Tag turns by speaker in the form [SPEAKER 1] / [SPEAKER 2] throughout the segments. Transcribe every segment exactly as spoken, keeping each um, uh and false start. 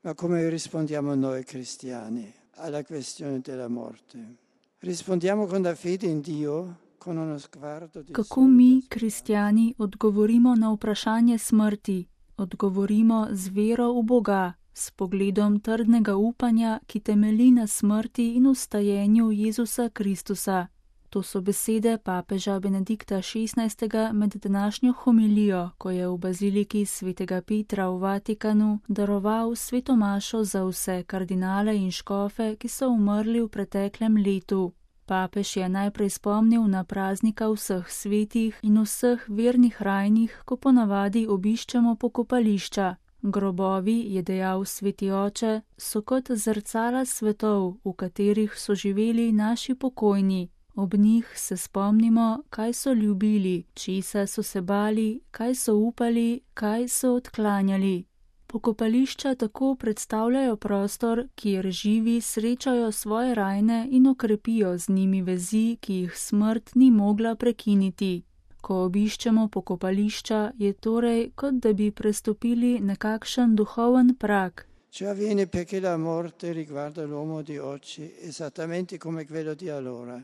[SPEAKER 1] Ma come rispondiamo noi cristiani alla questione della morte? Rispondiamo con la fede in Dio, con uno sguardo di
[SPEAKER 2] Kako mi, kristjani, odgovorimo na vprašanje smrti? Odgovorimo z vero v Boga, s pogledom trdnega upanja, ki temelji na smrti in vstajenju Jezusa Kristusa. To so besede papeža Benedikta šestnajstega med današnjo homilijo, ko je v baziliki svetega Petra v Vatikanu daroval sveto mašo za vse kardinale in škofe, ki so umrli v preteklem letu. Papež je najprej spomnil na praznika vseh svetih in vseh vernih rajnih, ko ponavadi obiščemo pokopališča. Grobovi, je dejal sveti oče, so kot zrcala svetov, v katerih so živeli naši pokojni. Ob njih se spomnimo, kaj so ljubili, česa so se bali, kaj so upali, kaj so odklanjali. Pokopališča tako predstavljajo prostor, kjer živi srečajo svoje rajne in okrepijo z njimi vezi, ki jih smrt ni mogla prekiniti. Ko obiščemo pokopališča, je torej, kot da bi prestopili nekakšen duhoven prak.
[SPEAKER 1] Ciò avviene perché la morte riguarda l'uomo di oggi esattamente come quello di allora.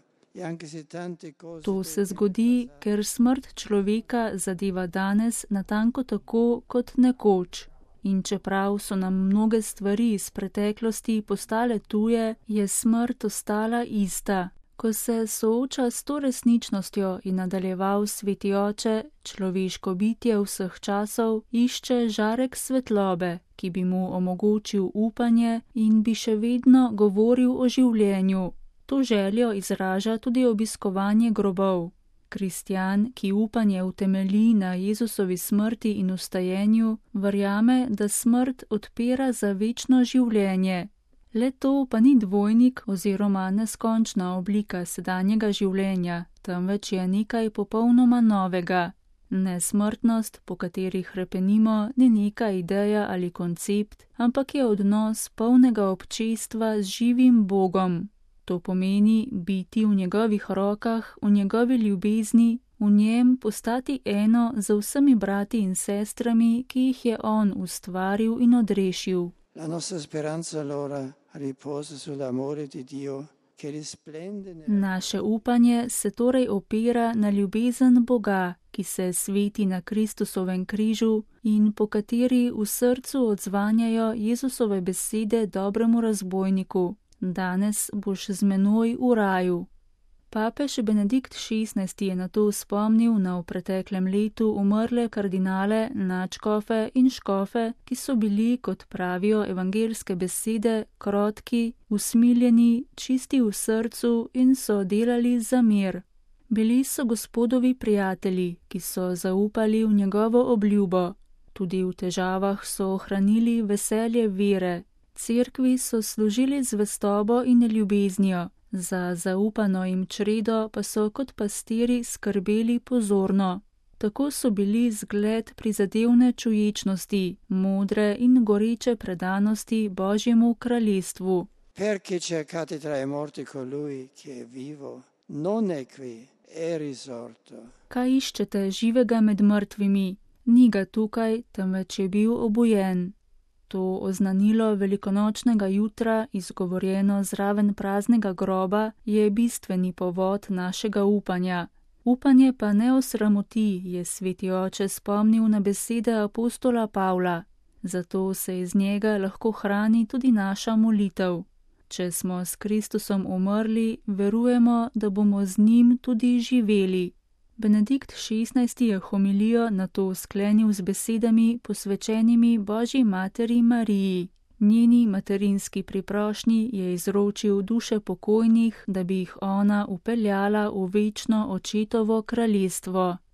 [SPEAKER 2] To se zgodi, ker smrt človeka zadeva danes natanko tako kot nekoč. In čeprav so nam mnoge stvari iz preteklosti postale tuje, je smrt ostala ista. Ko se sooča s to resničnostjo, in nadaljeval sveti oče, človeško bitje vseh časov išče žarek svetlobe, ki bi mu omogočil upanje in bi še vedno govoril o življenju. To željo izraža tudi obiskovanje grobov. Kristjan, ki upanje utemelji na Jezusovi smrti in vstajenju, verjame, da smrt odpira za večno življenje. Le to pa ni dvojnik oziroma neskončna oblika sedanjega življenja, temveč je nekaj popolnoma novega. Nesmrtnost, po kateri hrepenimo, ni neka ideja ali koncept, ampak je odnos polnega občestva z živim Bogom. To pomeni biti v njegovih rokah, v njegovi ljubezni, v njem postati eno z vsemi brati in sestrami, ki jih je on ustvaril in odrešil.
[SPEAKER 1] La nostra speranza allora riposa sull'amore di Dio che risplende nel...
[SPEAKER 2] Naše upanje se torej opira na ljubezen Boga, ki se sveti na Kristusovem križu in po kateri v srcu odzvanjajo Jezusove besede dobremu razbojniku. Danes boš z menoj v raju. Papež Benedikt šestnajsti je nato spomnil na v preteklem letu umrle kardinale, nadškofe in škofe, ki so bili, kot pravijo evangelske besede, krotki, usmiljeni, čisti v srcu in so delali za mir. Bili so Gospodovi prijatelji, ki so zaupali v njegovo obljubo. Tudi v težavah so ohranili veselje vere. Cerkvi so služili zvestobo in ljubeznijo, za zaupano jim čredo pa so kot pastiri skrbeli pozorno. Tako so bili zgled prizadevne čuječnosti, modre in goreče predanosti Božjemu kraljestvu.
[SPEAKER 1] Perché cercate tra i morti colui che è vivo, non è qui, è risorto.
[SPEAKER 2] Kaj iščete živega med mrtvimi? Ni ga tukaj, temveč je bil obujen. To oznanilo velikonočnega jutra, izgovorjeno zraven praznega groba, je bistveni povod našega upanja. Upanje pa ne osramoti, je sveti oče spomnil na besede apostola Pavla. Zato se iz njega lahko hrani tudi naša molitev. Če smo s Kristusom umrli, verujemo, da bomo z njim tudi živeli. Benedikt šestnajsti je homilijo nato sklenil z besedami posvečenimi Božji materi Mariji. Njeni materinski priprošnji je izročil duše pokojnih, da bi jih ona upeljala v večno očetovo kraljestvo.